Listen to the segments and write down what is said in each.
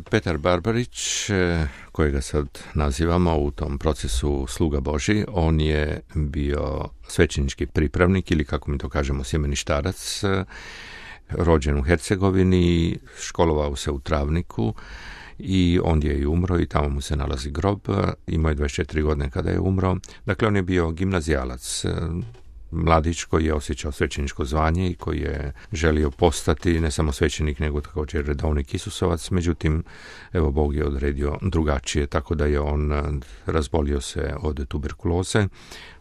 Petar Barbarić, kojega sad nazivamo u tom procesu sluga Božji, on je bio svećenički pripravnik ili kako mi to kažemo sjemeništarac, rođen u Hercegovini, školovao se u Travniku i ondje je i umro i tamo mu se nalazi grob. Imao je 24 godine kada je umro. Dakle, on je bio gimnazijalac, mladić koji je osjećao svećeničko zvanje i koji je želio postati ne samo svećenik nego također redovnik Isusovac. Međutim, evo, Bog je odredio drugačije, tako da je on razbolio se od tuberkuloze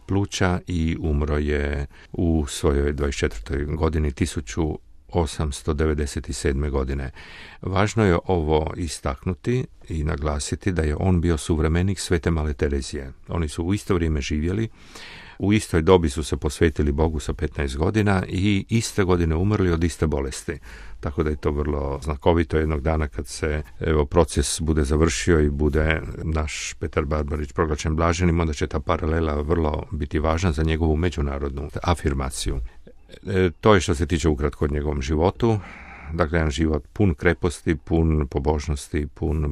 pluća i umro je u svojoj 24. godini 1897. godine. Važno je ovo istaknuti i naglasiti da je on bio suvremenik Svete Male Terezije. Oni su u isto vrijeme živjeli, u istoj dobi su se posvetili Bogu sa 15 godina i iste godine umrli od iste bolesti. Tako da je to vrlo znakovito jednog dana kad se proces bude završio i bude naš Petar Barbarić proglašen blaženim, onda će ta paralela vrlo biti važna za njegovu međunarodnu afirmaciju. To je što se tiče ukratko o njegovom životu. Dakle, jedan život pun kreposti, pun pobožnosti, pun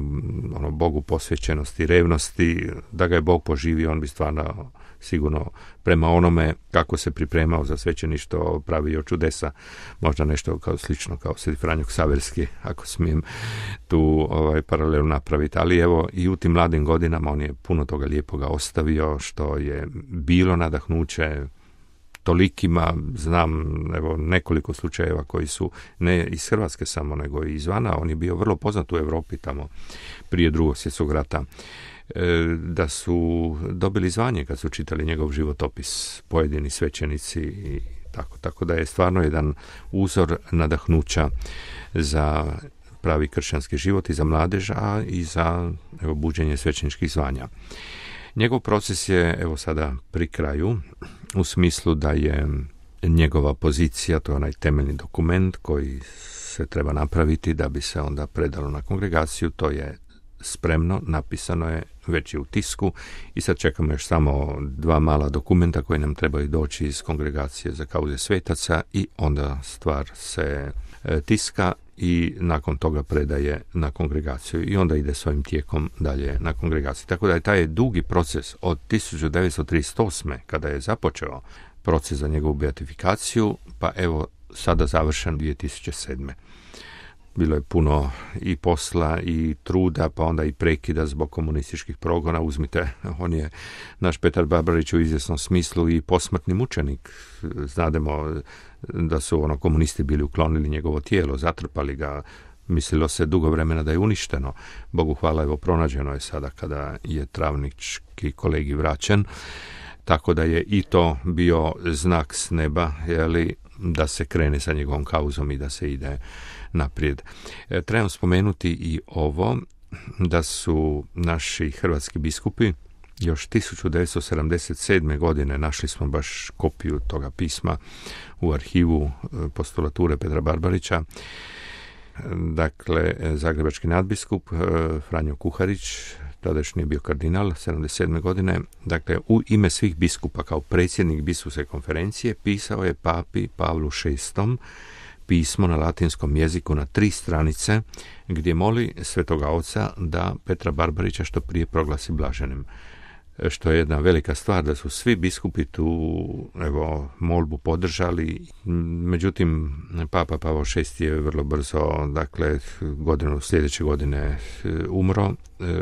Bogu posvećenosti, revnosti. Da ga je Bog poživio, on bi stvarno sigurno prema onome kako se pripremao za svećeništvo pravio čudesa. Možda nešto slično kao Sveti Franjo Ksaverski, ako smijem tu paralelu napraviti. Ali evo, i u tim mladim godinama on je puno toga lijepoga ostavio, što je bilo nadahnuće tolikima. Znam nekoliko slučajeva koji su ne iz Hrvatske samo, nego i izvana. On je bio vrlo poznat u Europi tamo prije Drugog svjetskog rata, da su dobili zvanje kad su čitali njegov životopis pojedini svećenici i tako da je stvarno jedan uzor nadahnuća za pravi kršćanski život i za mladež, a i za buđenje svećeničkih zvanja. Njegov proces je sada pri kraju, u smislu da je njegova pozicija, to je onaj temeljni dokument koji se treba napraviti da bi se onda predalo na kongregaciju, to je spremno, napisano je, već je u tisku i sad čekamo još samo 2 mala dokumenta koji nam trebaju doći iz kongregacije za kauze svetaca i onda stvar se tiska i nakon toga predaje na kongregaciju i onda ide svojim tijekom dalje na kongregaciju. Tako da je taj dugi proces od 1938. kada je započeo proces za njegovu beatifikaciju, pa evo sada završen 2007. Bilo je puno i posla i truda, pa onda i prekida zbog komunističkih progona. Uzmite, on je, naš Petar Barbarić, u izvjesnom smislu i posmrtni mučenik. Znademo da su komunisti bili uklonili njegovo tijelo, zatrpali ga, mislilo se dugo vremena da je uništeno. Bogu hvala, evo, pronađeno je sada kada je travnički kolegi vraćen. Tako da je i to bio znak s neba, da se krene sa njegovom kauzom i da se ide naprijed. Trebam spomenuti i ovo, da su naši hrvatski biskupi još 1977. godine, našli smo baš kopiju toga pisma u arhivu postulature Petra Barbarića, dakle, zagrebački nadbiskup Franjo Kuharić, tadašnji je bio kardinal, 77. godine, dakle, u ime svih biskupa kao predsjednik biskupske konferencije pisao je papi Pavlu VI pismo na latinskom jeziku na 3 stranice gdje moli Svetoga Oca da Petra Barbarića što prije proglasi blaženim. Što je jedna velika stvar, da su svi biskupi tu molbu podržali. Međutim, Papa Pavao VI je vrlo brzo, dakle, sljedeće godine umro,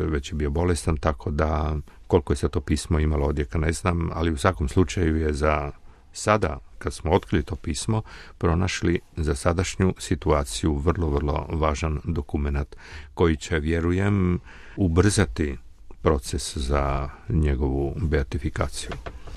već je bio bolestan, tako da koliko je se to pismo imalo odjeka ne znam, ali u svakom slučaju je za sada, kad smo otkrili to pismo, pronašli za sadašnju situaciju vrlo, vrlo važan dokumenat koji će, vjerujem, ubrzati proces za njegovu beatifikaciju.